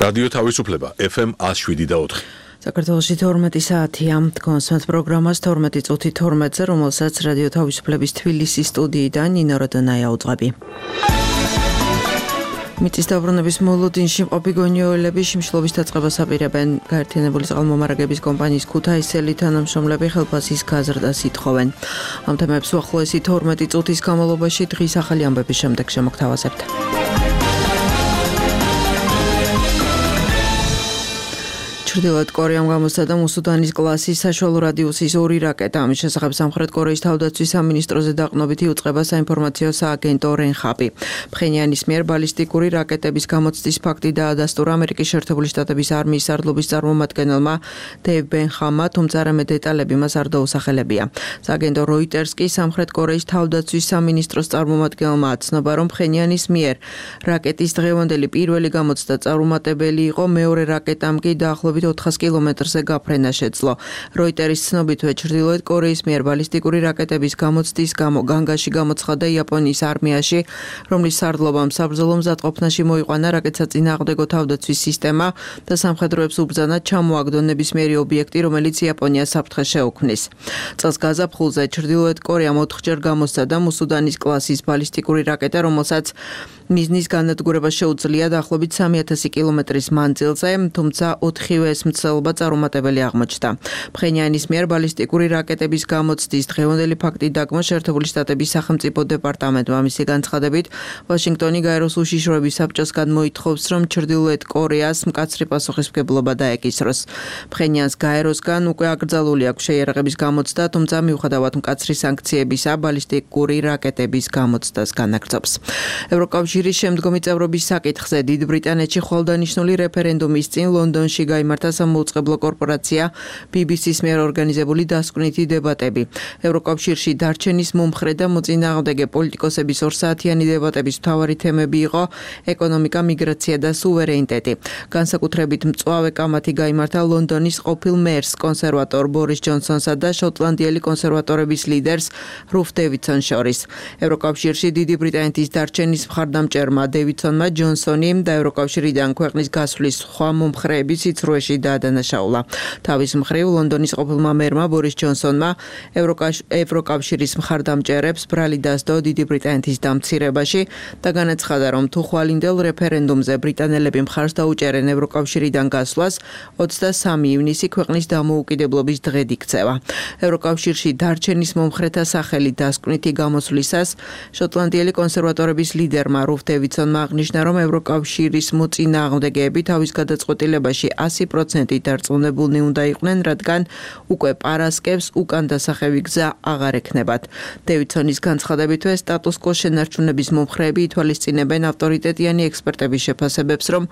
რადიო თავისუფლება FM 107.4. საქართველოში 12 საათია. კონსერტ პროგრამას 12 წუთი 12-ზე, რომელსაც რადიო თავისუფლების თბილისის სტუდიიდან ნინო როდონაია უძღვები. მიწის დაბრუნების მოლოდინში მყოფი გონიოელები შიმშილობის დაწყებას აპირებენ. გაერთიანებული წყალმომარაგების კომპანიის ქუთაისელი თანამშრომლები ხელფასის გაზრდას ითხოვენ. ამ თემებს უახლოესი 12 წუთის განმავლობაში დღის ახალი ამბების შემდეგ შემოგთავაზებთ. ჩრდილოეთ კორეამ გამოსცადა მუსუდანის კლასის საშუალო რადიუსის 2 რაკეტა. ამის შესახებ სამხრეთ კორეის თავდაცვის სამინისტროზე დაყრდნობით იუწყება საინფორმაციო სააგენტო რენხაპი. ფხენიანის მიერ ბალისტიკური რაკეტების გამოცდის ფაქტი დაადასტურა ამერიკის შეერთებული შტატების არმიის სარდლობის წარმომადგენელმა დეივ ბენხამმა, თუმცა არამედ დეტალები მას არ დაუსახელებია. სააგენტო როიტერს კი სამხრეთ კორეის თავდაცვის სამინისტროს წარმომადგენელმა აცნობა, რომ ფხენიანის მიერ რაკეტის დღევანდელი პირველი გამოცდა წარუმატებელი იყო, მეორე რაკეტამ კი დაახლოებით 400 კილომეტრზე გაფრენა შეძლო. როიტერის ცნობითვე ჩრდილოეთ კორეის მიერ ბალისტიკური რაკეტების გამოცდის გამო განგაში გამოცხადდა იაპონიის არმიაში, რომლის სარდლობამ საბრძოლო მზადყოფნაში მოიყვანა რაკეტსაწინააღმდეგო თავდაცვის სისტემა და სამხედროებს უბრძანა ჩამოაგდონ ნებისმიერი ობიექტი, რომელიც იაპონიას საფრთხეს შეუქმნის. წელს გაზაფხულზე ჩრდილოეთ კორეამ 4-ჯერ გამოსცადა მუსუდანის კლასის ბალისტიკური რაკეტა, რომელსაც მიზნის განადგურება შეუძლია დაახლოებით 3000 კილომეტრის მანძილზე, თუმცა 4-ვე ეს მცდელობა წარუმატებელი აღმოჩნდა. ფხენიანის მიერ ბალისტიკური რაკეტების გამოცდის დღევანდელი ფაქტი დაგმო შეერთებული შტატების სახელმწიფო დეპარტამენტმა. მისი განცხადებით, ვაშინგტონი გაეროს უშიშროების საბჭოსგან მოითხოვს, რომ ჩრდილოეთ კორეას მკაცრი პასუხისმგებლობა დაეკისროს. ფხენიანს გაეროსგან უკვე აკრძალული აქვს შეიარაღების გამოცდა, თუმცა მიუხედავად მკაცრი სანქციებისა, ბალისტიკური რაკეტების გამოცდას განაგრძობს. ევროკავშირის შემდგომი წევრობის საკითხზე დიდ ბრიტანეთში ხვალდანიშნული რეფერენდუმის წინ ლონდონში გაიმართა სამოუწყებლო კორპორაცია BBC-ს მიერ ორგანიზებული დასკვნითი დებატები. ევროკავშირში დარჩენის მომხრე და მოწინააღმდეგე პოლიტიკოსების 2 საათიანი დებატების მთავარი თემები იყო ეკონომიკა, მიგრაცია და სუვერენიტეტი. განსაკუთრებით მწვავე კამათი გაიმართა ლონდონის ყოფილ მერს, კონსერვატორ ბორის ჯონსონსა და შოტლანდიელი კონსერვატორების ლიდერს რუფ დევიდსონს შორის. ევროკავშირში დიდი ბრიტანეთის დარჩენის მხარდამჭერმა დევიდსონმა ჯონსონი და ევროკავშირიდან ქვეყნის გასვლის სხვა მომხრეები სიცრუეში დაადანაშაულა. თავის მხრივ ლონდონის ყოფილმა მერმა ბორის ჯონსონმა ევროკავშირის მხარდამჭერებს ბრალი დასდო დიდი ბრიტანეთის დამცირებაში და განაცხადა, რომ თუ ხვალინდელ რეფერენდუმზე ბრიტანელები მხარს დაუჭერენ ევროკავშირიდან გასვლას, 23 ივნისი ქვეყნის დამოუკიდებლობის დღედ იქცევა. ევროკავშირში დარჩენის მომხრეთა სახელი დასკვნითი გამოსვლისას შოტლანდიელი კონსერვატორების ლიდერმა რუფ დევიდსონმა აღნიშნა, რომ ევროკავშირის მოწინააღმდეგეები თავის გადაწყვეტილებაში 100% დარწმუნებულნი უნდა იყვნენ, რადგან უკვე პარასკევს უკან დასახევი გზა აღარ ექნებათ. დევიდსონის განცხადებითვე სტატუს-კვოს შენარჩუნების მომხრეები ითვალისწინებენ ავტორიტეტიანი ექსპერტების შეფასებებს, რომ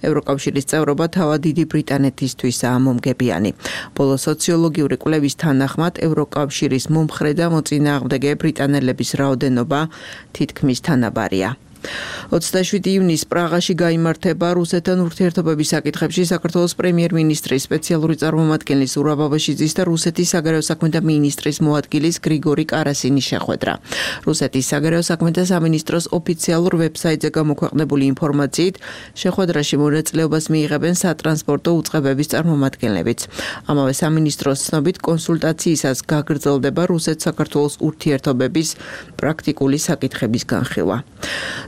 ევროკავშირის წევრობა თავად დიდი ბრიტანეთისთვისაა მომგებიანი. ბოლო სოციოლოგიური კვლევის თანახმად ევროკავშირის მომხრე და მოწინააღმდეგე ბრიტანელების რაოდენობა თითქმის თანაბარია. 27 ივნისს პრაღაში გაიმართება რუსეთთან ურთიერთობების საკითხებში საქართველოს პრემიერ-მინისტრის სპეციალური წარმომადგენლის ურა ბაბაშიძის და რუსეთის საგარეო საქმეთა მინისტრის მოადგილის გრიგორი კარასინის შეხვედრა. რუსეთის საგარეო საქმეთა სამინისტროს ოფიციალურ ვებსაიტზე გამოქვეყნებული ინფორმაციით, შეხვედრაში მონაწილეობას მიიღებენ სატრანსპორტო უწყებების წარმომადგენლებიც. ამავე სამინისტროს ცნობით, კონსულტაციისას გაგრძელდება რუსეთ-საქართველოს ურთიერთობების პრაქტიკული საკითხების განხილვა.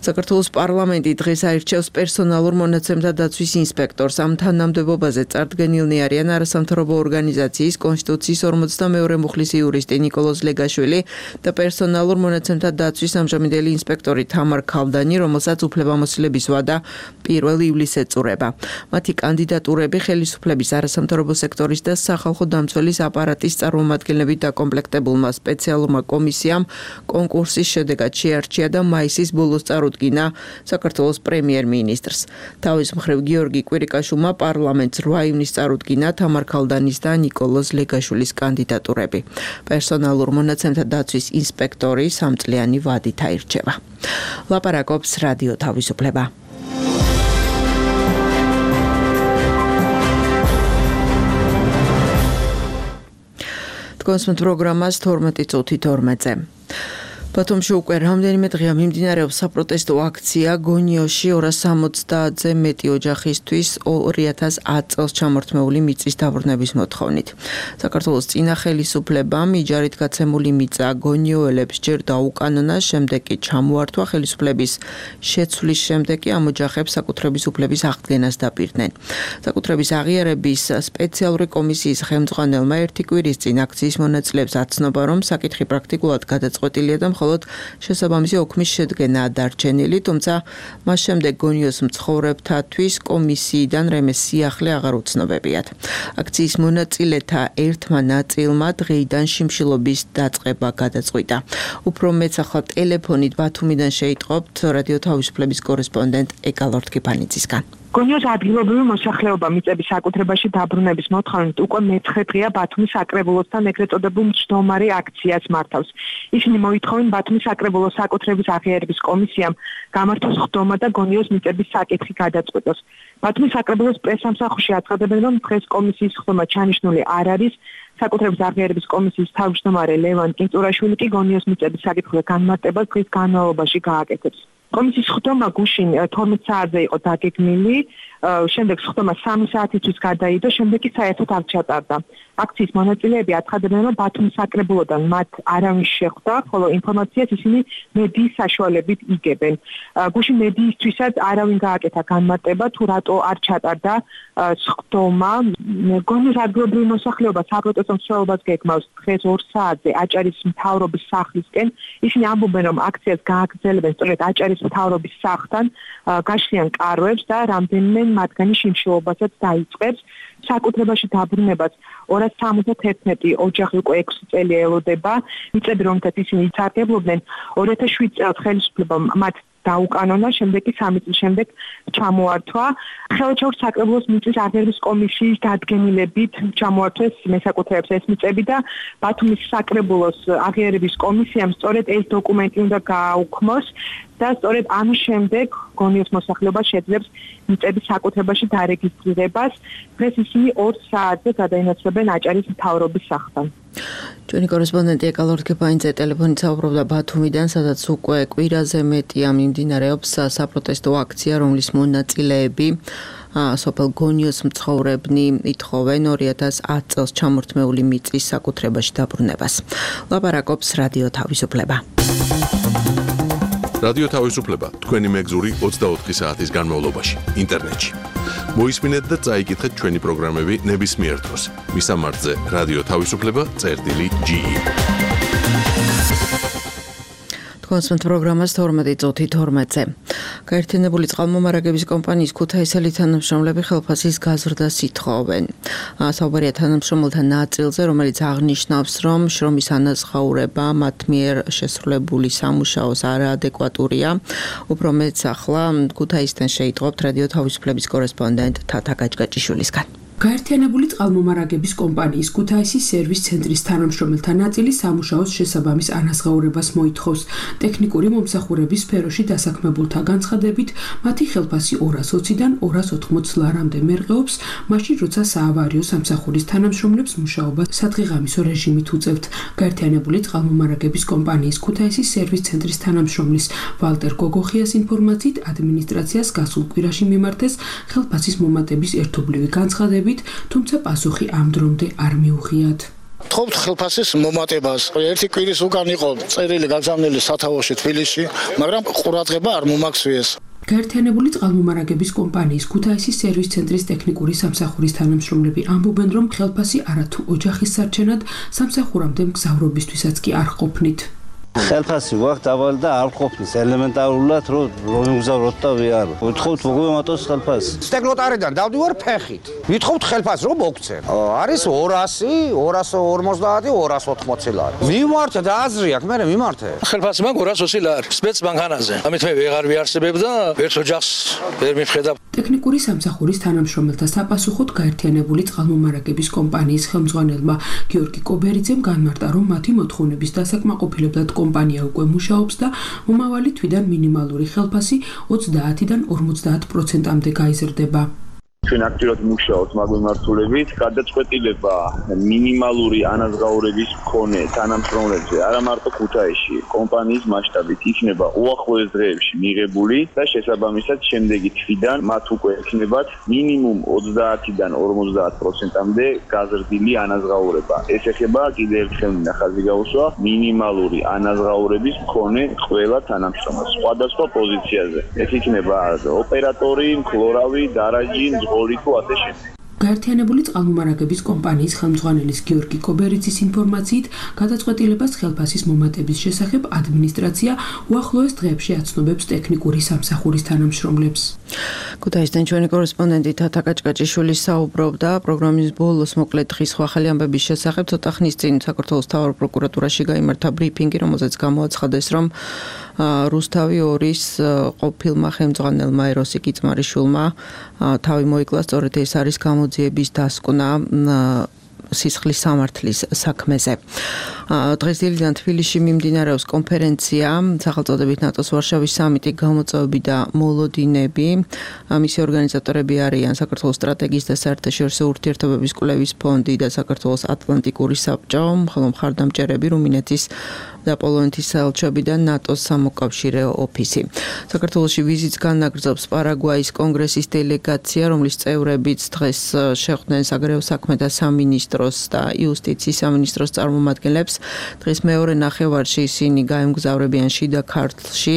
საქართველოს პარლამენტი დღეს აირჩევს პერსონალურ მონაცემთა დაცვის ინსპექტორს. ამ თანამდებობაზე წარდგენილნი არიან არასამთავრობო ორგანიზაციის კონსტიტუციის 42 მუხლის იურისტი ნიკოლოზ ლეგაშვილი და პერსონალურ მონაცემთა დაცვის ამჟამინდელი ინსპექტორი თამარ ქალდანი, რომელსაც უფლებამოსილების ვადა 1 ივლისს ეწურება. მათი კანდიდატურები ხელისუფლების, არასამთავრობო სექტორის და სახალხო დამცველის აპარატის წარმომადგენლებით დაკომპლექტებულმა სპეციალურმა კომისიამ კონკურსის შედეგად შეარჩია და მაისის ბოლოს წარუდგინა საქართველოს პრემიერ-მინისტრს. თავის მხრივ გიორგი კვირიკაშვილმა პარლამენტს 8 ივნისს წარუდგინა თამარ ქალდანის და ნიკოლოზ ლეგაშვილის კანდიდატურები. პერსონალურ მონაცემთა დაცვის ინსპექტორი 3 წლიანი ვადით აირჩევა. ლაპარაკობს რადიო თავისუფლება. კონსერტ პროგრამას 12 წუთი 12-ზე. ბათუმში უკვე რამდენიმე დღეა მიმდინარეობს საპროტესტო აქცია გონიოში 260-ზე მეტი ოჯახისთვის 2010 წელს ჩამორთმეული მიწის დაბრუნების მოთხოვნით. საქართველოს წინა ხელისუფლებამ იჯარით გაცემული მიწა გონიოელებს ჯერ დაუკანონა, შემდეგ კი ჩამოართვა ხელისუფლების შეცვლის შემდეგ კი ამ ოჯახებს საკუთრების უფლების აღდგენას დაპირდნენ. საკუთრების აღიარების სპეციალური კომისიის ხელმძღვანელმა ერთი კვირის წინ აქციის მონაწილეებს აცნობა, რომ საკითხი პრაქტიკულად გადაწყვეტილია და მხოლოდ შესაბამისი ოქმის შედგენაა დარჩენილი, თუმცა მას შემდეგ გონიოს მცხოვრებთათვის კომისიიდან რემეს სიახლე აღარ უცნობებიათ. აქციის მონაწილეთა ერთმა ნაწილმა დღეიდან შიმშილობის დაწყება გადაწყვიტა. უფრო მეც ახლა ტელეფონით ბათუმიდან შეიტყობთ რადიო თავისუფლების კორესპონდენტ ეკალორთ კიფანიძისგან. გონიოს ადგილობრივი მოსახლეობა მიწების საკუთრებაში დაბრუნების მოთხოვნით უკვე მე-9 დღეა ბათუმის საკრებულოსთან ეგრეთ წოდებულ მჯდომარე აქციას მართავს. ისინი მოითხოვენ ბათუმის საკრებულოს საკუთრების აღიარების კომისიამ გამართოს ხდომა და გონიოს მიწების საკითხი გადაწყვეტოს. ბათუმის საკრებულოს პრესსამსახურში აცხადებენ, რომ დღეს კომისიის ხდომა ჩანიშნული არ არის. საკუთრების აღიარების კომისიის თავმჯდომარე ლევან კინწურაშვილი კი გონიოს მიწების საკითხზე განმარტებას დღის განმავლობაში გააკეთებს. კომისიის ხდომა გუშინ 12 საათზე იყო დაგეგმილი, შემდეგ ხდომა 3 საათისთვის გადაიდო, შემდეგ კი საერთოდ არ ჩატარდა. აქციის მონაწილეები აცხადებენ, რომ ბათუმის საკრებულოდან მათ არავინ შეხვდა, ხოლო ინფორმაციას ისინი მედიის საშუალებით იგებენ. გუშინ მედიისთვისაც არავინ გააკეთა განმარტება, თუ რატო არ ჩატარდა ხდომა. გონიოს ადგილობრივი მოსახლეობა საპროტესტო მსვლელობას გეგმავს დღეს 2 საათზე აჭარის მთავრობის სახლისკენ. ისინი ამბობენ, რომ აქციას გააგრძელებენ სწორედ აჭარის მთავრობის სახლთან, გაშლიან კარვებს და რამდენიმე მათგანი შიმშილობასაც დაიწყებს. საკუთრებაში დაბრუნებას 271 ოჯახი უკვე 6 წელი ელოდება. მიწები, რომელთაც ისინი იცარგებლობდნენ, 2007 წელს ხელისუფლებამ მათ დაუკანონა, შემდეგ კი 3 წლის შემდეგ ჩამოართვა. ხელშეუხლოს საკრებულოს მიწის აღიარების კომისიის დადგენილებით ჩამოართვეს მესაკუთრეებს ეს მიწები და ბათუმის საკრებულოს აღიარების კომისიამ სწორედ ეს დოკუმენტი უნდა გააუქმოს და სწორედ ამის შემდეგ გონიოს მოსახლეობა შეძლებს მიწების საკუთრებაში დარეგისტრირებას. დღეს ისინი 2 საათზე გადაინაცვლებენ აჭარის მთავრობის სახლთან. ჩვენი კორესპონდენტი ეკალორთ კიფანიძე ტელეფონით საუბრობდა ბათუმიდან, სადაც უკვე კვირაზე მეტია მიმდინარეობს საპროტესტო აქცია, რომლის მონაწილეები სოფელ გონიოს მცხოვრებნი ითხოვენ 2010 წელს ჩამორთმეული მიწის საკუთრებაში დაბრუნებას. ლაპარაკობს რადიო თავისუფლება. რადიო თავისუფლება თქვენი მეგზური 24 საათის განმავლობაში ინტერნეტში. მოისმინეთ და წაიკითხეთ ჩვენი პროგრამები ნებისმიერ დროს. მისამართზე რადიო თავისუფლება.ge. კონსულტ პროგრამას 12 წუთი 12-ზე. გაერთიანებული წყალმომარაგების კომპანიის ქუთაისელი თანამშრომლები ხელფასის გაზრდას ითხოვენ. საუბარია თანამშრომელთა ნაწილზე, რომელიც აღნიშნავს, რომ შრომის ანაზღაურება მათ მიერ შესრულებული სამუშაოს არაადეკვატურია. უფრო მეც ახლა ქუთაისიდან შეიტყობთ რადიო თავისუფლების კორესპონდენტ თათა გაჭგაჭიშვილისგან. გაერთიანებული წყალმომარაგების კომპანიის ქუთაისის სერვის ცენტრის თანამშრომელთა ნაწილი სამუშაოს შესაბამის ანაზღაურებას მოითხოვს. ტექნიკური მომსახურების სფეროში დასაქმებულთა განცხადებით, მათი ხელფასი 220-დან 280 ლარამდე მერყეობს, მაშინ როცა საავარიო სამსახურის თანამშრომლებს მუშაობა სადღეღამისო რეჟიმით უწევთ. გაერთიანებული წყალმომარაგების კომპანიის ქუთაისის სერვის ცენტრის თანამშრომლის ვალტერ გოგოხიას ინფორმაციით, ადმინისტრაციას გასულ კვირაში მიმართეს ხელფასის მომატების ერთობლივი განცხადები, თუმცა პასუხი ამ დრომდე არ მიუღიათ. ვთხოვთ ხელფასის მომატებას. ერთი კვირის უკან იყო წერილი გაგზავნილი სათავეში თბილისში, მაგრამ ყურადღება არ მომაქცევიეს. გაერთიანებული წყალმომარაგების კომპანიის ქუთაისის სერვის ცენტრის ტექნიკური სამსახურის თანამშრომლები ამბობენ, რომ ხელფასი არათუ ოჯახის სარჩენად სამსახურამდე მგზავრობისთვისაც კი არ ყოფნით. ხელფასი გვაქვს დაბალი და არ ყოფნის ელემენტარულად რომ მიგზავროთ და ვიარო. ვთხოვთ მოგვემატოს ხელფასი. სტეკლოტარიდან დავდივარ ფეხით. ვითხოვთ ხელფასს რომ მოგცენ. არის 200, 250, 280 ლარი. მიმართე და აზრი აქვს, მე მიმართე. ხელფასი მაგ 220 ლარი. სპეცბანკანაზე. ამით მე ვეღარ ვიარსებებ და ერთ ოჯახს ვერ მიფხედა. ტექნიკური სამსახურის თანამშრომელთა საპასუხოდ გაერთიანებული წყალმომარაგების კომპანიის ხელმძღვანელმა გიორგი კობერიძემ განმარტა, რომ მათი მოთხოვნების დასაკმაყოფილებლად კომპანია უკვე მუშაობს და მომავალი თვიდან მინიმალური ხელფასი 30-დან 50%-მდე გაიზრდება. ჩვენ აქტიურად მუშაობთ მაგ მიმართულებით, გადაწყვეტილება მინიმალური ანაზღაურების მქონე თანამშრომლებზე არა მარტო ქუთაისში, კომპანიის მასშტაბით იქნება უახლოეს დღეებში მიღებული და შესაბამისად შემდეგი თვიდან მათ უკვე ექნებათ მინიმუმ 30-დან 50%-მდე გაზრდილი ანაზღაურება. ეს ეხება კიდევ ერთხელ ხაზი გაუსვა მინიმალური ანაზღაურების მქონე ყველა თანამშრომელს სხვადასხვა პოზიციაზე. ეს იქნება ოპერატორი, მქლორავი, დარაჯი, მძღოლი თუ ასე შემდეგ. გაერთიანებული წყალმომარაგების კომპანიის ხელმძღვანელის გიორგი კობერიძის ინფორმაციით, გადაწყვეტილებას ხელფასის მომატების შესახებ ადმინისტრაცია უახლოეს დღეებში აცნობებს ტექნიკური სამსახურის თანამშრომლებს. ქუთაისიდან ჩვენი კორესპონდენტი თათა კაჭკაჭიშვილი საუბრობდა პროგრამის ბოლოს მოკლედ დღის ხვალ ამბების შესახებ. ცოტა ხნის წინ საქართველოს მთავარ პროკურატურაში გაიმართა ბრიფინგი, რომელზეც გამოაცხადეს, რომ რუსთავი 2-ის ყოფილმა ხელმძღვანელმა ეროსი კიწმარიშვილმა თავი მოიკლა, სწორედ ეს არის გამოძიების დასკვნა სისხლის სამართლის საქმეზე. დღესდღეობით თბილისში მიმდინარეობს კონფერენცია სახელწოდებით ნატოს ვარშავის სამიტი გამოწვევები და მოლოდინები. მისი ორგანიზატორები არიან საქართველოს სტრატეგიის და საერთაშორისო ურთიერთობების კვლევის ფონდი და საქართველოს ატლანტიკური საბჭო, ხოლო მხარდამჭერები რუმინეთის და პოლონეთის საელჩოები და ნატოს სამოკავშირეო ოფისი. საქართველოში ვიზიტს განაგრძობს პარაგვაის კონგრესის დელეგაცია, რომლის წევრებიც დღეს შეხვდნენ საგარეო საქმეთა სამინისტროს და იუსტიციის სამინისტროს წარმომადგენლებს. დღეს მეორე ნახევარში ისინი გაემგზავრებიან შიდა ქართლში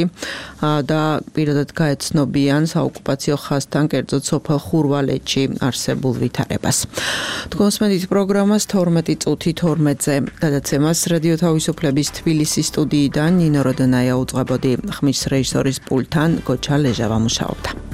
და პირადად გაეცნობიან საოკუპაციო ხაზთან, კერძოდ სოფელ ხურვალეთში არსებულ ვითარებას. თქვენს მედით პროგრამას 12 წუთი 12-ზე გადაცემას რადიო თავისუფლების თბილისის სტუდიიდან ნინო როდანაია უძღვებოდი, ხმის რეჟისორის პულტთან გოჩა ლეჟავა მუშაობდა.